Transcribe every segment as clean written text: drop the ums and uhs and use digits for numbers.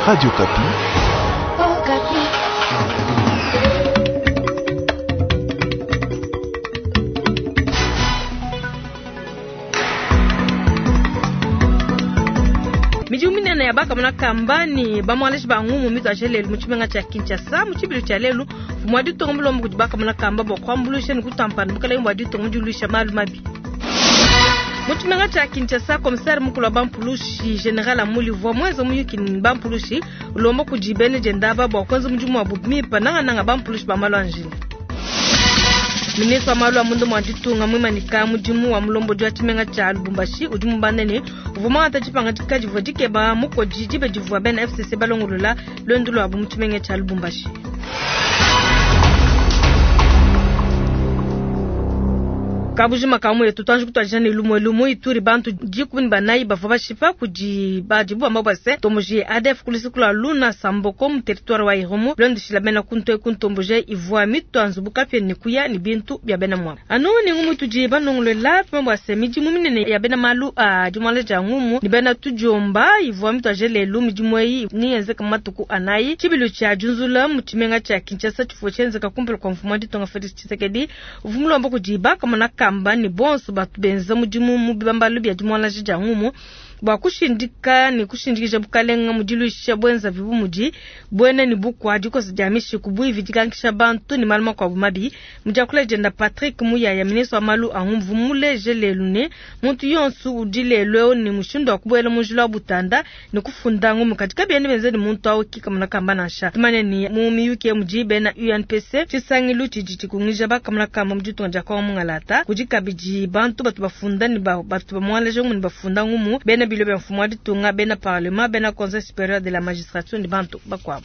Radio Okapi. Midimu minene ya bakamona kamba ne bamuangalaji ba ngumu mituadije lelu mu tshimenga tshia Kinshasa. Mu tshibilu tshia lelu, mfumu wa ditunga mulomba kudi bakamona kamba bua kuambuluisha ne kutua mpanda bukalenge bua ditunga mu diluisha malu mabi. Mu tshimenga tshia Kinshasa, commissaire mukulu wa bampulushi General Amuli uvua muenze muyuki ne bampulushi ulomba kudi bena dienda aba bua kuenza mudimu wabu bimpe, nangananga bampulushi ba malu a njila. Ministre wa malu a munda mua ditunga muimanyika mudimu wa mulombodi wa tshimenga tshia Lubumbashi udi mubanda ne uvua muangata dipangadika divua dikeba mukodi diba divua bena FCC balongolola luendu luabu mu tshimenga tshia Lubumbashi. Kabujima ka muetu tuanji kutuadija ne lumue lumu Ituri bantu 14 bavua bashipa kudi badibu bamba bua se ntomboji ADF ku lusuku lua Luna Samboko mu territoire wa Irumu bilondeshila bena kuntu eku ntomboji ivua mitua nzubu kapia ne kuya ne bintu bia bena muabu. Anu ne ngumu tudi banongolola tumanye bua se midimu minene ya bena malu a dimuangala dia ngumu ne bena tudiomba ivua mituadije lelu. Midimu eyi neyenzeke mu matuku anayi. Tshibilu tshia diunzula mu tshimenga tshia Kinshasa tshivua tshienzeka kumpala kua mfumu wa ditunga Felix Tshisekedi uvua mulomba kudi bakamona kamba ne bonso batu benza mudimu mu bibambalu bia dimuangalaja dia ngumu bua kushindika ne kushindikija bukalenga mu diluisha buenzavi bu mudi buena ne bukua, dikosa dia mishiku, buivi, dikankisha bantu ne malu makuabu mabi. Mu diakula dienda, Patrick Muyaya, ministre wa malu a ngumvu, mmuleje lelu ne, muntu yonso udi lelu eu ne mushindu wa kubuela mu njila wa butanda ne kufunda ngumu, kadi kabiena bienza ne muntu au ki kamona kamba nansha. Tumanye ne, mu miyuki eyi mudi bena UNPC, tshisangilu tshidi tshikungija bakamona kamba mu ditunga dia Congo mungalata. Kudi kabidi bantu batu bafunda ne batu bamuangalaja ngumu ne bafunda ngumu, bena bilo bia mfumu wa ditunga, bena parlement, bena Conseil superieur de la magistrature ne bantu bakuabu.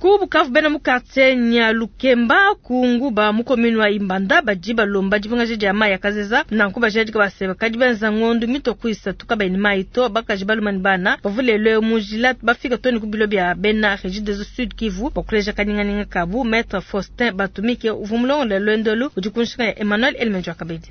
Ku Bukavu, bena mu quartier Nyalukemba ku Nguba mu commune wa Ibanda badi balomba dipingaja dia mayi a kazeza. Nanku bajadika ba se bakadi benza ngondo mitue ku isatu kabayi ne mayi to. Bakaji, balume ne bana bavua lelu eu mu njila bafika too ne ku bilo bia bena Regideso Sud Kivu bua kuleja kanyinganyinga kabu. Maitre Faustin Batumike uvua mulongolole luendu elu udi ku nshinga ya Emmanuel Elemenjo Kabedi.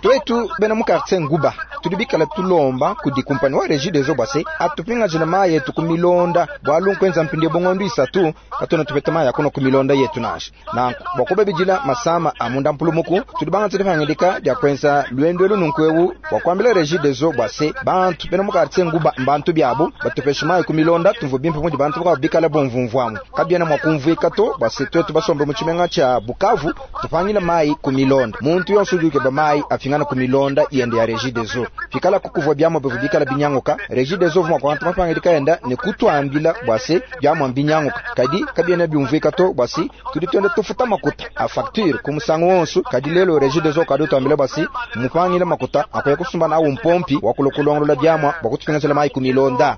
Tuetu bena mu quartier Nguba tudi bikala tulomba kudi kumpani wa Regideso bua se atupingajile mayi etu ku milonda, bualu nkuenza mpindieu bu ngondu isatu katuena tupeta mayi a kunua ku milonda yetu nansha. Nanku bua kubabidila masama a munda mpulumuku, tudi bangate dipangadika dia kuenza luendu elu nunku eu bua kuambila Regideso bua se bantu bena mu quartier Nguba mbantu biabu, batupeshe mayi ku milonda tumvue bimpe mudi bantu bakuabu bikala bumvumvuamu. Kabiena mua kumvuika to bua se tuetu basombe mu tshimenga tshia Bukavu tupangile mayi ku milonda. Muntu yonso udi ukeba mayi apingane ku milonda yende ya Regideso. Pikalaku kuvua biamua bivua bikala binyanguka, Regideso uvua mua kuangata mapangadika enda ne kutuambila bua se biamua mbinyanguka. Kadi kabiena biumvuika to bua se tudi tuenda tufuta makuta a facture ku musangu wonso, kadi lelu Regideso ukadi utuambila bua se mmupangile makuta a kuya kusumba nawu mpompi wa kulua kulongolola biamua bua kutupingajila mayi ku milonda.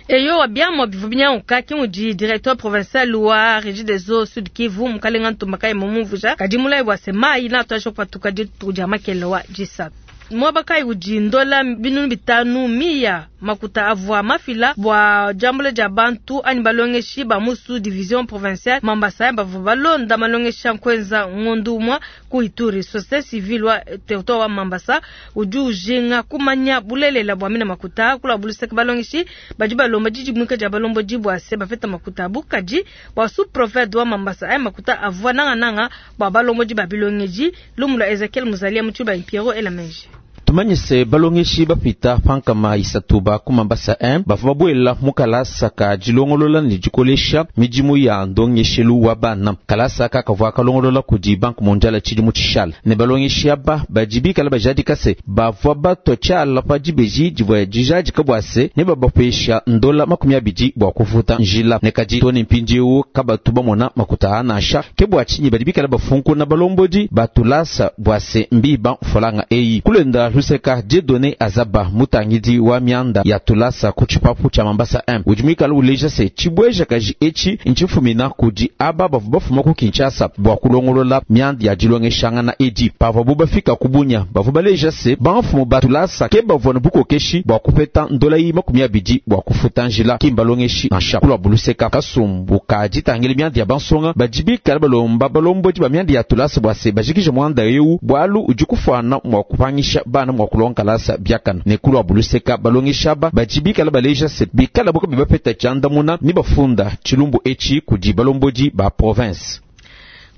Eyowa, biamua bivua binyanguka, ke mudi directeur provincial wa Regideso Sud Kivu, Mukalenga Ntumba Kayembe mumvuija. Kadi mulayi bua se mayi neatuadije kupatuka dituku dia makelela wa disatu. Muaba kayi udi ndola 5000 miya makuta avua mafila bua diambula dia bantu anyi balongeshi ba mu sous division provinciale Mambasa bavua balonda malongesha nkuenza ngondu umua ku Ituri. Societe civile wa territoire wa Mambasa udi ujinga kumanya bulelela bua mina makuta. Ku lua luseke balongeshi badi balomba didimuika dia balombodi bua se bapeta makuta abu, kadi bua sous prefet wa Mambasa aya makuta avua nangananga bua balombodi ba bilongedi. Lumu lua Ezekiel Muzalia mu tshiluba Pierrot Elameji. Tumanye se balongeshi bapita pa 300 ba ku Mambasa 1 bavua babuela mu kalasa ka dilongolola ne dikolesha midimu ya ndongeshelu wa bana. Kalasa aka kavua kalongolola kudi Banque mondiale tshidimu tshishala, ne balongeshi aba badi bikala bajadika se bavua batua tshiala pa dibeji divua dijadika bua se nebabapesha ndola 20 bua kufuta njila, ne kadi too ne mpindieu kabatu bamona makuta aa nansha. Ke bua tshinyi badi bikala bafunkuna balombodi ba tulasa bua se mbiba mfranga eyi. Kulenda luseka Dieudonné Azaba, mutangidi wa mianda ya tulasa ku tshipapu tshia Mambasa 1, udi muikale uleja se tshibuejakaji etshi ntshifumina kudi aba bavua bafuma ku Kinshasa bua kulongolola mianda ya dilongeshangana edi. Pavuabu bafika ku Bunia, bavua baleja se bamfumu ba tulasa ke bavua ne bukokeshi bua kupeta ndola eyi 20 bua kufuta njila, ki mbalongeshi nansha. Ku luabu luseka, kasumbu ka ditangila mianda ya bansonga badi bikale balomba balombodi ba mianda ya tulasa bua se bajikije muanda eu, bualu udi kufuana mua kupangisha bana. bana mua kulonga kalasa biakana ne kuluabu luseka balongeshi aba badi bikala baleja se bikala bo kabayi bapeta tshiandamuna ne bafunda tshilumbu etshi kudi balombodi ba province.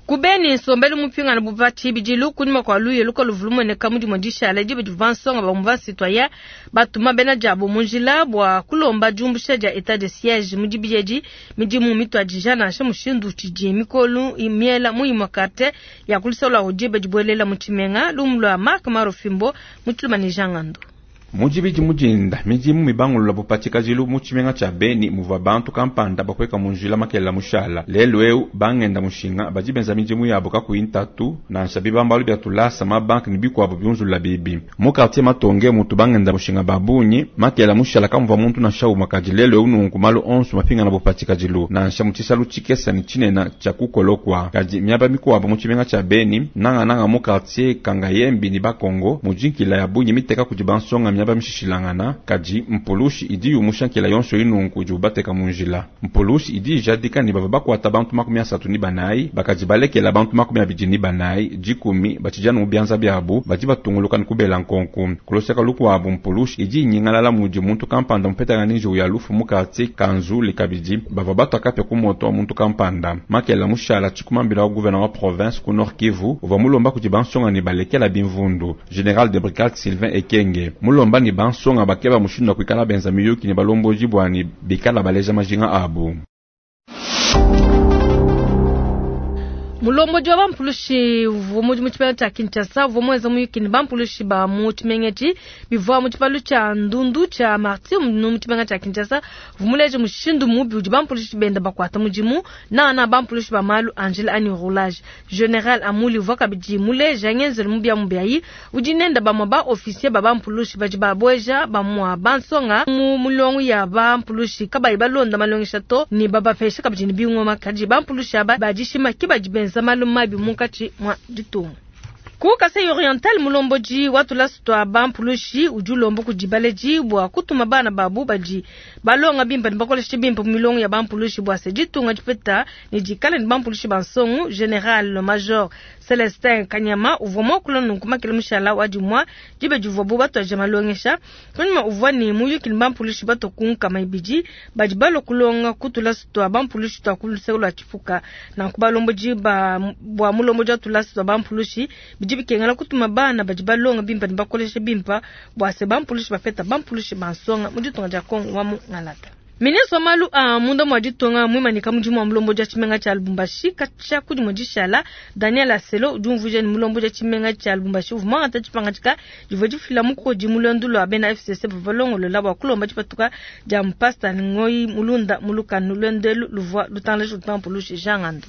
Ku Beni, nsombelu mupingana bu pa tshibidilu kunyima kua luya lukaluvua lumueneka mu dimue dishala diba divua bansonga ba mouvement citoyen batuma bena diabu mu njila bua kulomba diumbusha dia etat de siege mu dibidi edi. Midimu mituadija nansha mushindu utshidi mikolu miela mu imue quartier ya ku luseke lua diba dibuelela mu tshimenga. Lumu lua Marc Maro Fimbo mu Tshiluma ne Jean Ngandu. Mu dibidi mu dinda, midimu mibangulula bu pa tshikajilu mu tshimenga tshia Beni muvua bantu kampanda bapueka mu njila makelela mushala. Lelu eu, bangenda mushinga badi benza midimu yabu kakuyi ntatu, nansha bibambalu bia tulasa, mabanke ne bikuabu biunzulula bibi. Mu quartier Matonge mutu bangenda mushinga ba bungi, makelela mushala kamuvua muntu nansha umue kadi lelu eu nunku malu onso mapingana bu pa tshikadilu, nansha mu tshisalu tshikesa ne tshinene tshia ku Kolokwa. Kadi miaba mikuabu mu tshimenga tshia Beni, nangananga mu quartier Kangayembi ne Bakongo, mudi nkila ya bungi miteka kudi bansonga miaba mishishilangana, kadi mpulushi idi yumusha nkila yonso eyi nunku idibu bateka mu njila. Mpulushi idi ijadika ne bavua bakuata bantu 34, bakadi balekela bantu 24, 10 batshidi anu mu bianza biabu, badi batunguluka ne kubela nkonku. Ku luseka lukuabu, mpulushi idi inyingalala mudi muntu kampanda mupetangana ne njiwu ya lufu mu kartie ka Nzuli. Kabidi, bavua batua kapia ku moto wa muntu kampanda. Makela mushala tshikumambila wa gouvena wa province ku Nord Kivu uvua mulomba kudi bansonga ne balekela bimvundu. General de brigade Sylvain Ekenge mulomba ne bansonga bakeba mushindu wa kuikala benza miyuki ne balombodi bua ne bikala baleja majinga abu. Mulombodi wa bampulushi uvua mu tshimenga tshia Kinshasa uvua muenza muyuki ne bampulushi ba mu tshimenga etshi bivua mu tshipalu tshia ndundu tshia Martyr mu tshimenga tshia Kinshasa. Uvua muleje mushindu mubi udi bampulushi benda bakuata mudimu nangananga bampulushi ba malu a njila anyi roulage. General Amuli uvua kabidi muleja ngenzelu mubiamubi ayi udi nenda bamue ba officier ba bampulushi badi babueja bamue bansonga mu milongo ya bampulushi kabayi balonda malongesha to ne babapesha kabidi ne bingoma. Kadi bampulushi aba ba dishima ke badi benza malu mabi munkatshi mua ditunga. Ku Kasai Oriental, mulombodi wa tulasa tua bampulushi udi ulomba kudi baledi bua kutuma bana babu badi balonga bimpe ne bakoleshe bimpe mu milongo ya bampulushi bua se ditunga dipeta ne dikale ne bampulushi ba nsongo. General Major Celestin Kanyama uvua muakula nunku makele mushala wa dimua diba divuabu batuadija malongesha. Kunyima uvua ne muyuki ne bampulushi batua ku 200 badi balua kulonga ku tulasa tua bampulushi tua ku luseke lua Tshipuka. Nanku balombodi ba bua mulombodi wa tulasa tua bampulushi bidi bikengela kutuma bana badi balonga bimpe ne bakolesha bimpe bua se bampulushi bapeta bampulushi ba nsonga mu ditunga dia Kongo wa mu Ngalata. Ministre wa malu a munda mua ditunga muimanyika mudimu wa mulombodi wa tshimenga tshia Lubumbashi katshia ku dimue dishala, Daniel Aselo udi umvuija ne mulombodi wa tshimenga tshia Lubumbashi uvua muangata dipangadika divua difila mukodi mu luendu lua bena FCC bavua balongolola bua kulomba dipatuka dia mpasta Ngoyi Mulunda mu lukanu. Luendu elu luvua lutangalaja kudi mpulushi Jean Ngandu.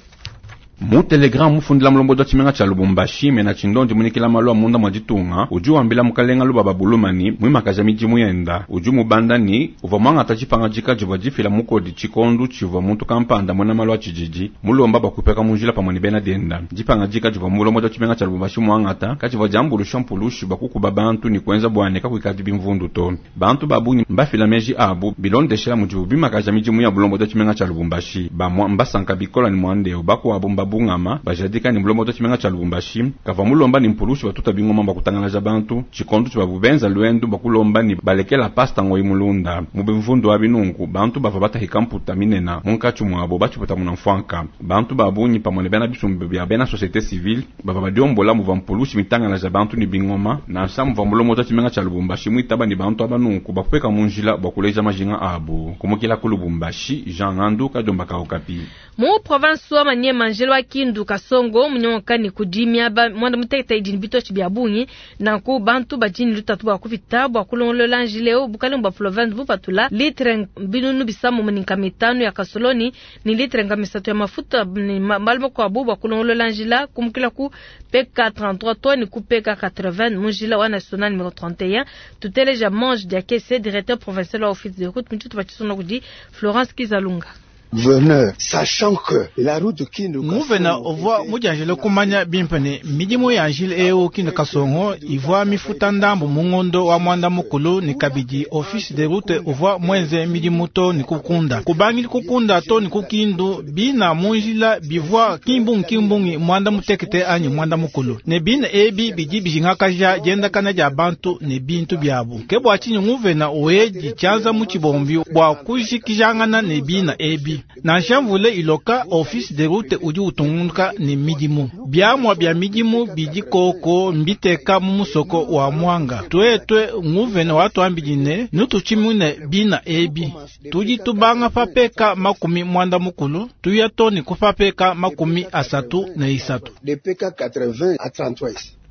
Mu telegram mufundila mulombodi wa tshimenga tshia Lubumbashi, Mena Tshindondi munyikila malu a munda mua ditunga, udi wambila mukalenga Lubaba Buluma ni muimakaja midimu yenda. Udi umubanda ni uvua muangata dipangadika divua difila mukodi tshikondu tshivua muntu kampanda muena malu a tshididi mulomba bua kupeka mu njila pamue ne bena dienda. Dipangadika divua mulombodi wa tshimenga tshia Lubumbashi muangata kadivua diambuluisha mpulushi bua kukuba bantu ne kuenza bua ne kakuikadi bimvundu to. Bantu ba bungi mbafila meji abu bilondeshela mudibu bimakaja midimu ya bulombodi wa tshimenga tshia Lubumbashi. Bamua mbasanka bikola ne muanda eu, bakuabu mbabungama bajadika ne mulombodi wa tshimenga tshia Lubumbashi kavua mulomba ne mpulushi batuta bingoma bua kutangalaja bantu tshikondo tshibabu benza luendu bua kulomba ne balekela pasta Ngoyi Mulunda. Mu bimvundu abi nunku bantu bavua batahika mputa minena munkatshi muabo batshiputa muna mfuanka. Bantu ba bungi pamue ne bena bisumbu bia bena societe civile bavua badiombola muvua mpulushi mitangalaja bantu ne bingoma, nansha muvua mulombodi wa tshimenga tshia Lubumbashi muitaba ne bantu aba nunku bapueka mu njila bua kuleja majinga abu. Kumukila ku Lubumbashi, Jean Ngandu, Kadiomba ka Okapi. Mu province wa Maniema, njila wa Kindu Kasongo munyonka ne kudi miaba muanda mutekete idi ne bitotshi bia bungi. Nanku bantu badi ne lutatu bua kupita bua kulongolola njila eu. Bukalenge bua province bupatula litre 550 ya kasoloni ne litre 300 ya mafuta ne malu makuabu bua kulongolola njila kumukila ku PK33 to ne ku PK80 mu njila wa national numero 31. Tuteleja Mange Diakese, directeur provincial wa office de route mu tshitupa tshisonga kudi Florence Kizalunga. Gouverneur, sachant que la route Kindu Nguvena uvwa mudianjile kumanya bimpe ne midimu ya njila eu Kindu Kasongo ivwa mifuta ndambu mu ngondo wa mwanda mukulu ne kabidi office de route uvwa mwenze midimu to ne kukunda kubangili kukunda to ne kukindu bina mu njila bivwa kimbungi kimbungi mwanda mutekete anyi mwanda mukulu ne bina ebi bidi bijingakaja diendakana dia bantu ne bintu biabu ke bua tshinyi nguvena wedi tshianza mu tshibombi bua kujikijangana ne bina ebi. Nansha mvula iloka office de route udi utungunuka ne midimu biamua bia midimu bidi koko mbiteka mu musoko wa mwanga twetwe nguvena watuambidi ne nututshimune bina ebi tudi tubanga papeka 33 tuya toni kupapeka 33. De PK 80 à 33.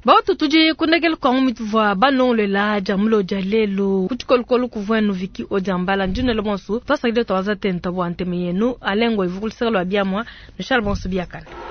Bautu tudi kundekela kwangu mituvua balongolela dia mulo dia lelu kutshikoluko kuvuenu viki odiambala ndinelo bonso twasakile twaza tenta bua nteme yenu alengo ivukulisaka lwa biamua nushala bonso biakana.